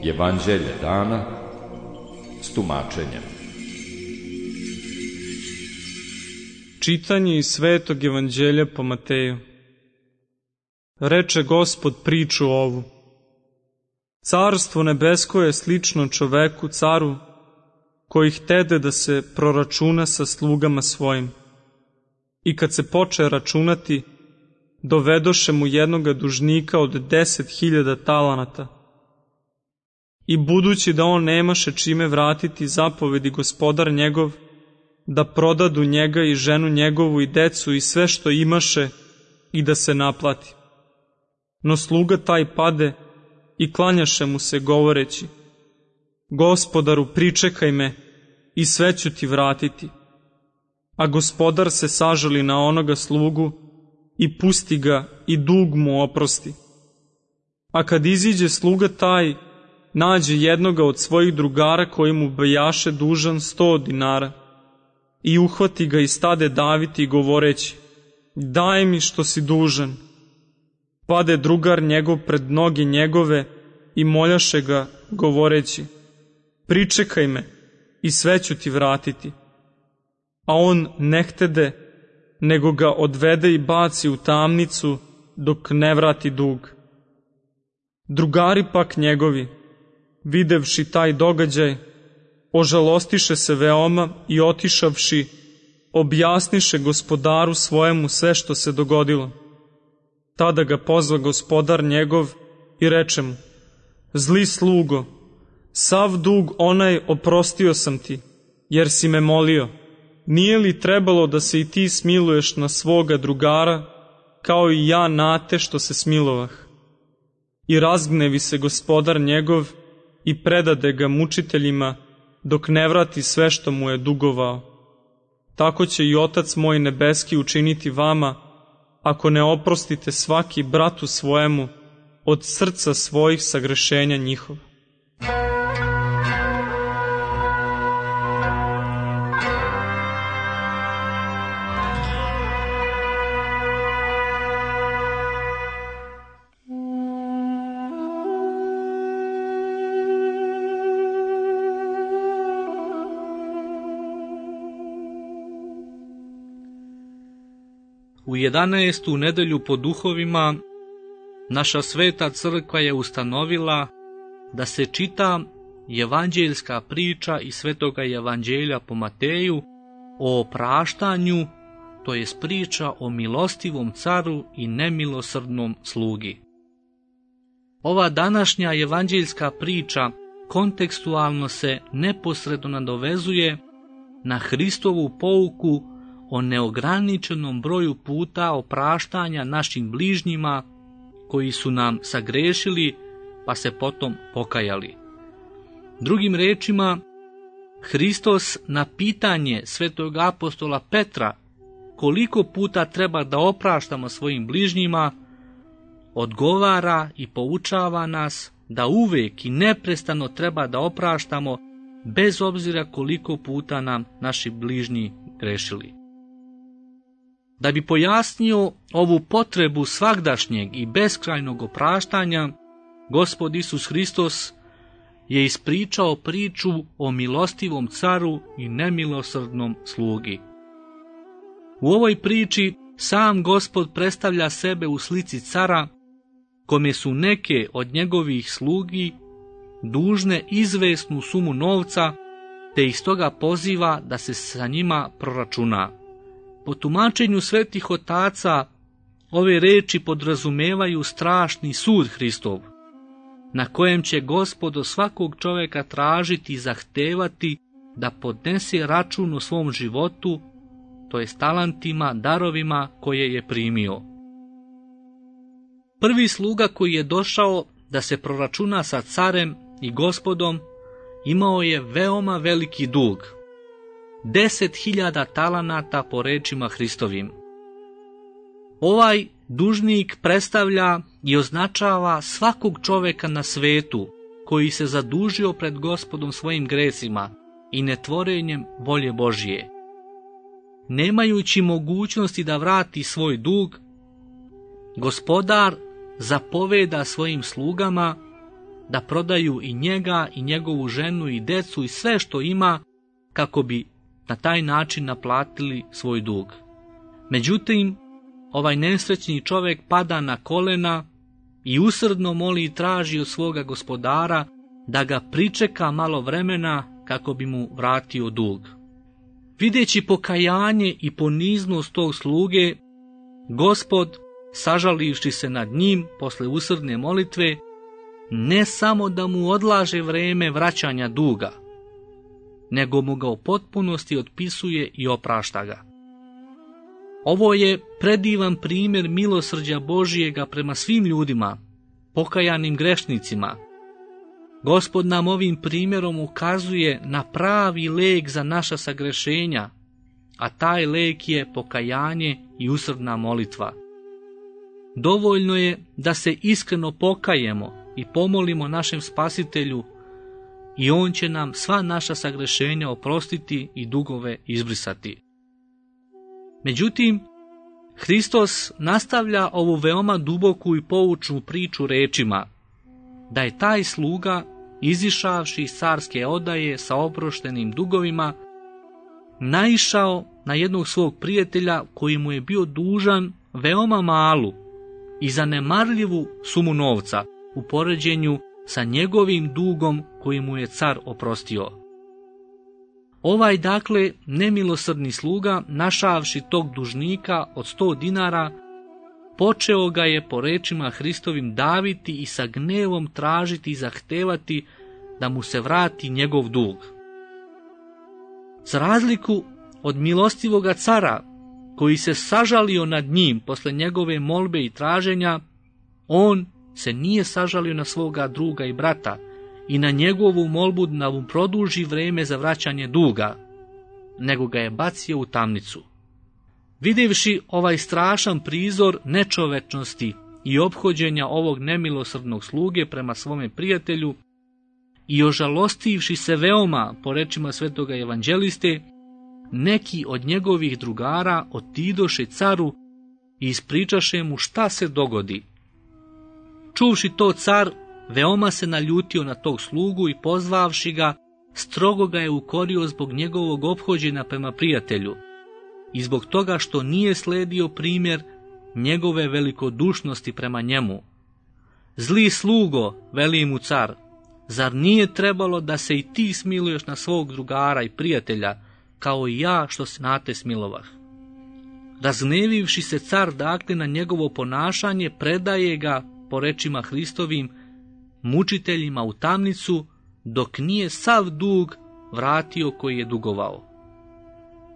Evanđelje dana s tumačenjem. Čitanje iz Svetog Evanđelja po Mateju. Reče Gospod priču ovu. Carstvo nebesko je slično čoveku, caru, koji htede da se proračuna sa slugama svojim. I kad se poče računati, dovedoše mu jednoga dužnika od 10.000 talanata. I budući da on nemaše čime vratiti, zapovedi gospodar njegov da prodadu njega i ženu njegovu i decu i sve što imaše i da se naplati. No sluga taj pade i klanjaše mu se govoreći: Gospodaru, pričekaj me i sve ću ti vratiti. A gospodar se sažali na onoga slugu i pusti ga i dug mu oprosti. A kad iziđe sluga taj, nađe jednoga od svojih drugara koji mu bejaše dužan 100 dinara i uhvati ga i stade daviti govoreći: Daj mi što si dužan. Pade drugar njegov pred noge njegove i moljaše ga govoreći: Pričekaj me i sve ću ti vratiti. A on ne htede, nego ga odvede i baci u tamnicu dok ne vrati dug. Drugari pak njegovi, videvši taj događaj, ožalostiše se veoma i otišavši, objasniše gospodaru svojemu sve što se dogodilo. Tada ga pozva gospodar njegov i reče mu: Zli slugo, sav dug onaj oprostio sam ti, jer si me molio. Nije li trebalo da se i ti smiluješ na svoga drugara, kao i ja na te što se smilovah? I razgnevi se gospodar njegov i predade ga mučiteljima, dok ne vrati sve što mu je dugovao. Tako će i Otac moj nebeski učiniti vama, ako ne oprostite svaki bratu svojemu od srca svojih sagrešenja njihova. U 11. nedelju po duhovima naša sveta crkva je ustanovila da se čita evanđeljska priča iz Svetoga Evanđelja po Mateju o opraštanju, to jest priča o milostivom caru i nemilosrdnom slugi. Ova današnja evanđeljska priča kontekstualno se neposredno nadovezuje na Hristovu pouku o neograničenom broju puta opraštanja našim bližnjima koji su nam sagrešili pa se potom pokajali. Drugim rečima, Hristos na pitanje svetog apostola Petra koliko puta treba da opraštamo svojim bližnjima, odgovara i poučava nas da uvek i neprestano treba da opraštamo bez obzira koliko puta nam naši bližnji grešili. Da bi pojasnio ovu potrebu svagdašnjeg i beskrajnog opraštanja, Gospod Isus Hristos je ispričao priču o milostivom caru i nemilosrdnom slugi. U ovoj priči sam Gospod predstavlja sebe u slici cara, kome su neke od njegovih slugi dužne izvesnu sumu novca, te ih stoga poziva da se sa njima proračuna. Po tumačenju svetih otaca, ove reči podrazumevaju strašni sud Hristov, na kojem će Gospod od svakog čoveka tražiti i zahtevati da podnese račun o svom životu, to jest talentima, darovima koje je primio. Prvi sluga koji je došao da se proračuna sa carem i Gospodom imao je veoma veliki dug, 10.000 talanata po rečima Hristovim. Ovaj dužnik predstavlja i označava svakog čoveka na svetu koji se zadužio pred Gospodom svojim grecima i netvorenjem volje Božije. Nemajući mogućnosti da vrati svoj dug, Gospodar zapoveda svojim slugama da prodaju i njega i njegovu ženu i decu i sve što ima kako bi na taj način naplatili svoj dug. Međutim, ovaj nesrećni čovjek pada na kolena i usrdno moli i traži od svoga gospodara da ga pričeka malo vremena kako bi mu vratio dug. Videći pokajanje i poniznost tog sluge, Gospod, sažalivši se nad njim posle usrdne molitve, ne samo da mu odlaže vreme vraćanja duga, nego mu ga u potpunosti otpisuje i oprašta ga. Ovo je predivan primjer milosrđa Božijega prema svim ljudima, pokajanim grešnicima. Gospod nam ovim primjerom ukazuje na pravi lek za naša sagrešenja, a taj lek je pokajanje i usrdna molitva. Dovoljno je da se iskreno pokajemo i pomolimo našem Spasitelju i on će nam sva naša sagrešenja oprostiti i dugove izbrisati. Međutim, Hristos nastavlja ovu veoma duboku i poučnu priču rečima da je taj sluga, izišavši iz carske odaje sa oproštenim dugovima, naišao na jednog svog prijatelja koji mu je bio dužan veoma malu i zanemarljivu sumu novca u poređenju sa njegovim dugom koji mu je car oprostio. Ovaj dakle nemilosrdni sluga, našavši tog dužnika od 100 dinara, počeo ga je po rečima Hristovim daviti i sa gnevom tražiti i zahtevati da mu se vrati njegov dug. Za razliku od milostivoga cara, koji se sažalio nad njim posle njegove molbe i traženja, on se nije sažalio na svoga druga i brata i na njegovu molbu da mu produži vreme za vraćanje duga, nego ga je bacio u tamnicu. Vidjevši ovaj strašan prizor nečovečnosti i ophođenja ovog nemilosrdnog sluge prema svome prijatelju i ožalostivši se veoma, po rečima svetoga evanđeliste, neki od njegovih drugara otidoše caru i ispričaše mu šta se dogodi. Čuvši to, car veoma se naljutio na tog slugu i pozvavši ga, strogo ga je ukorio zbog njegovog ophođenja prema prijatelju i zbog toga što nije sledio primjer njegove velikodušnosti prema njemu. Zli slugo, veli mu car, zar nije trebalo da se i ti smiluješ na svog drugara i prijatelja, kao i ja što se na te smilovah? Razgnevivši se car dakle na njegovo ponašanje, predaje ga, po rečima Hristovim, mučiteljima u tamnicu, dok nije sav dug vratio koji je dugovao.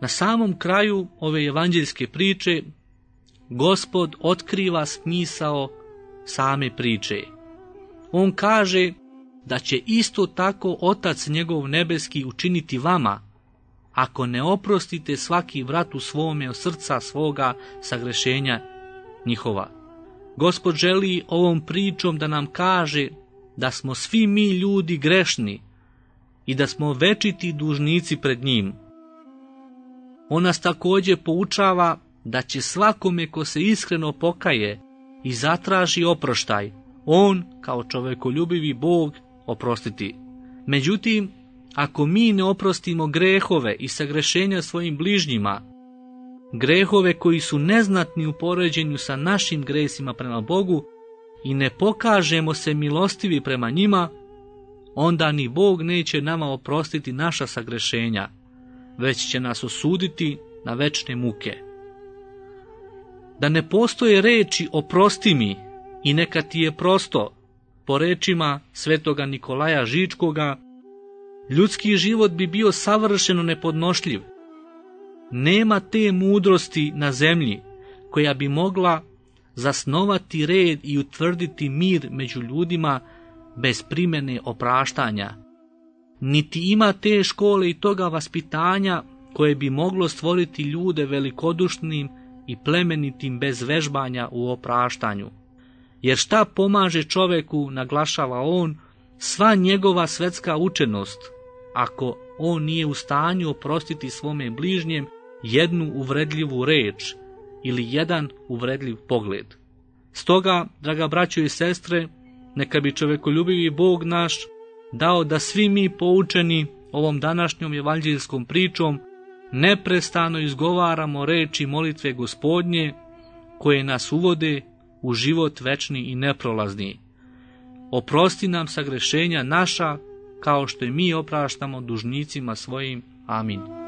Na samom kraju ove evanđeljske priče Gospod otkriva smisao same priče. On kaže da će isto tako Otac njegov nebeski učiniti vama, ako ne oprostite svaki vrat u svome od srca svoga sagrešenja njihova. Gospod želi ovom pričom da nam kaže da smo svi mi ljudi grešni i da smo večiti dužnici pred njim. On nas također poučava da će svakome ko se iskreno pokaje i zatraži oproštaj, on, kao čovekoljubivi Bog, oprostiti. Međutim, ako mi ne oprostimo grehove i sagrešenja svojim bližnjima, grehove koji su neznatni u poređenju sa našim gresima prema Bogu i ne pokažemo se milostivi prema njima, onda ni Bog neće nama oprostiti naša sagrešenja, već će nas osuditi na večne muke. Da ne postoje reči oprosti mi i neka ti je prosto, po rečima svetoga Nikolaja Žičkoga, ljudski život bi bio savršeno nepodnošljiv. Nema te mudrosti na zemlji koja bi mogla zasnovati red i utvrditi mir među ljudima bez primjene opraštanja. Niti ima te škole i toga vaspitanja koje bi moglo stvoriti ljude velikodušnim i plemenitim bez vežbanja u opraštanju. Jer šta pomaže čoveku, naglašava on, sva njegova svetska učenost, ako on nije u stanju oprostiti svome bližnjem jednu uvredljivu reč ili jedan uvredljiv pogled. Stoga, draga braćo i sestre, neka bi čovekoljubivi Bog naš dao da svi mi poučeni ovom današnjom evanđeljskom pričom neprestano izgovaramo reči molitve Gospodnje koje nas uvode u život večni i neprolazni. Oprosti nam sagrešenja naša kao što i mi opraštamo dužnicima svojim. Amin.